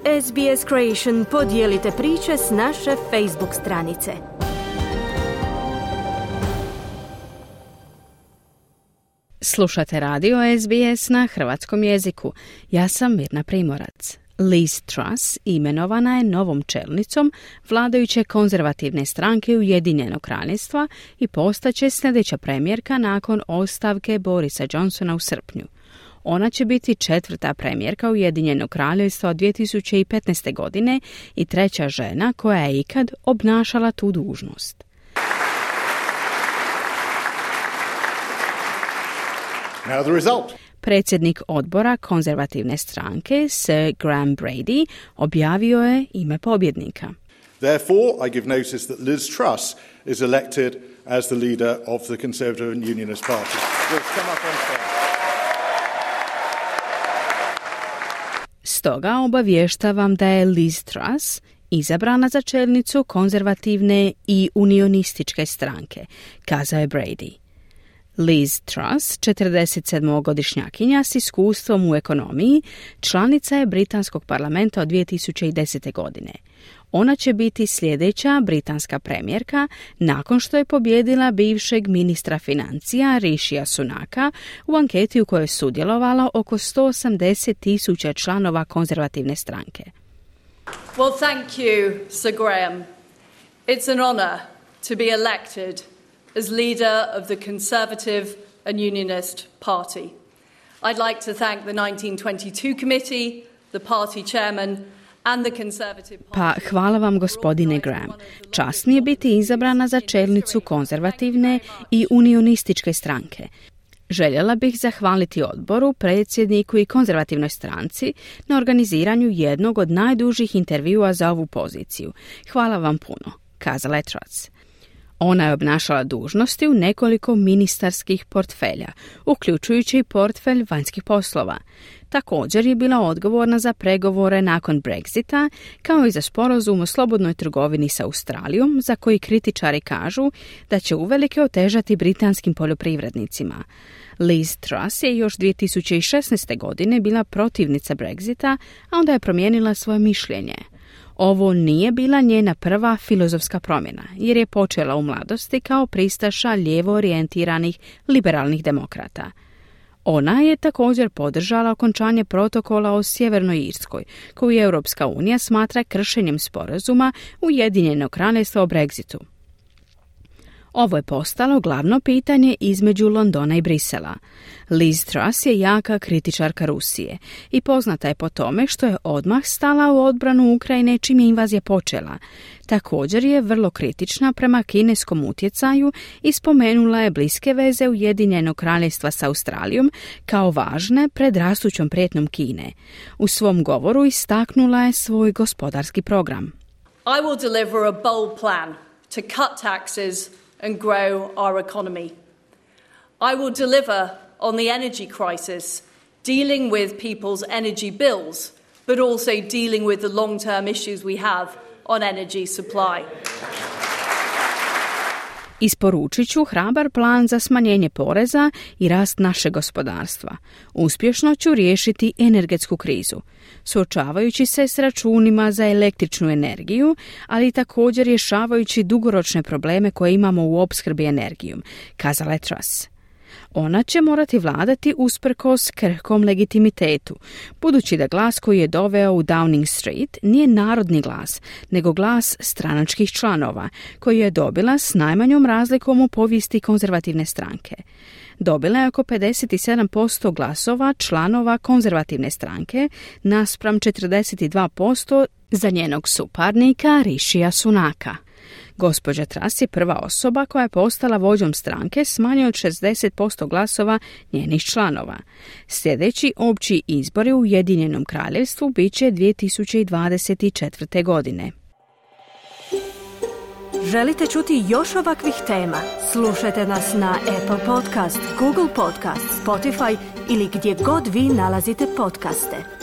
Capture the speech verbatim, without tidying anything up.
S B S Creation podijelite priče s naše Facebook stranice. Slušate radio S B S na hrvatskom jeziku. Ja sam Mirna Primorac. Liz Truss imenovana je novom čelnicom vladajuće konzervativne stranke Ujedinjenog kraljevstva i postaće sljedeća premijerka nakon ostavke Borisa Johnsona u srpnju. Ona će biti četvrta premijerka Ujedinjenog kraljevstva od dvije tisuće petnaeste. godine i treća žena koja je ikad obnašala tu dužnost. Now the result. Predsjednik odbora konzervativne stranke Sir Graham Brady objavio je ime pobjednika. Therefore, I give notice that Liz Truss is elected as the leader of the Conservative and Unionist Party. We'll come up on stage. Stoga obavještavam da je Liz Truss izabrana za čelnicu konzervativne i unionističke stranke, kazao je Brady. Liz Truss, četrdesetsedmogodišnjakinja s iskustvom u ekonomiji, članica je britanskog parlamenta od dvije tisuće desete. godine. Ona će biti sljedeća britanska premijerka nakon što je pobijedila bivšeg ministra financija Rishija Sunaka u anketi u kojoj je sudjelovalo oko sto osamdeset tisuća članova konzervativne stranke. Well, thank you, Sir Graham. It's an honor to be elected as leader of the Conservative and Unionist Party. I'd like to thank the nineteen twenty-two committee, the party chairman, and the Conservative Party. Pa hvala vam, gospodine Graham. Čast mi je biti izabrana za čelnicu konzervativne i unionističke stranke. Željela bih zahvaliti odboru, predsjedniku i konzervativnoj stranci na organiziranju jednog od najdužih intervjua za ovu poziciju. Hvala vam puno, kazala je Truss. Ona je obnašala dužnosti u nekoliko ministarskih portfelja, uključujući i portfelj vanjskih poslova. Također je bila odgovorna za pregovore nakon Brexita, kao i za sporazum o slobodnoj trgovini sa Australijom, za koji kritičari kažu da će uvelike otežati britanskim poljoprivrednicima. Liz Truss je još dvije tisuće šesnaeste. godine bila protivnica Brexita, a onda je promijenila svoje mišljenje. Ovo nije bila njena prva filozofska promjena, jer je počela u mladosti kao pristaša lijevo orijentiranih liberalnih demokrata. Ona je također podržala okončanje protokola o Sjevernoj Irskoj, koju Europska unija smatra kršenjem sporazuma Ujedinjenog kraljevstva o Brexitu. Ovo je postalo glavno pitanje između Londona i Brisela. Liz Truss je jaka kritičarka Rusije i poznata je po tome što je odmah stala u odbranu Ukrajine čim je invazija počela. Također je vrlo kritična prema kineskom utjecaju i spomenula je bliske veze Ujedinjenog kraljevstva sa Australijom kao važne pred rastućom prijetnjom Kine. U svom govoru istaknula je svoj gospodarski program. I will deliver a bold plan to cut taxes and grow our economy. I will deliver on the energy crisis, dealing with people's energy bills, but also dealing with the long-term issues we have on energy supply. Isporučit ću hrabar plan za smanjenje poreza i rast našeg gospodarstva. Uspješno ću riješiti energetsku krizu, suočavajući se s računima za električnu energiju, ali također rješavajući dugoročne probleme koje imamo u opskrbi energijom, kazala je Truss. Ona će morati vladati usprkos krhkom legitimitetu, budući da glas koji je doveo u Downing Street nije narodni glas, nego glas stranačkih članova, koji je dobila s najmanjom razlikom u povijesti konzervativne stranke. Dobila je oko pedeset sedam posto glasova članova konzervativne stranke naspram četrdeset dva posto za njenog suparnika Rishija Sunaka. Gospođa Truss je prva osoba koja je postala vođom stranke s manje od šezdeset posto glasova njenih članova. Sljedeći opći izbori u Ujedinjenom kraljevstvu bit će dvije tisuće dvadeset četvrte. godine. Želite čuti još ovakvih tema? Slušajte nas na Apple Podcast, Google Podcast, Spotify ili gdje god vi nalazite podcaste.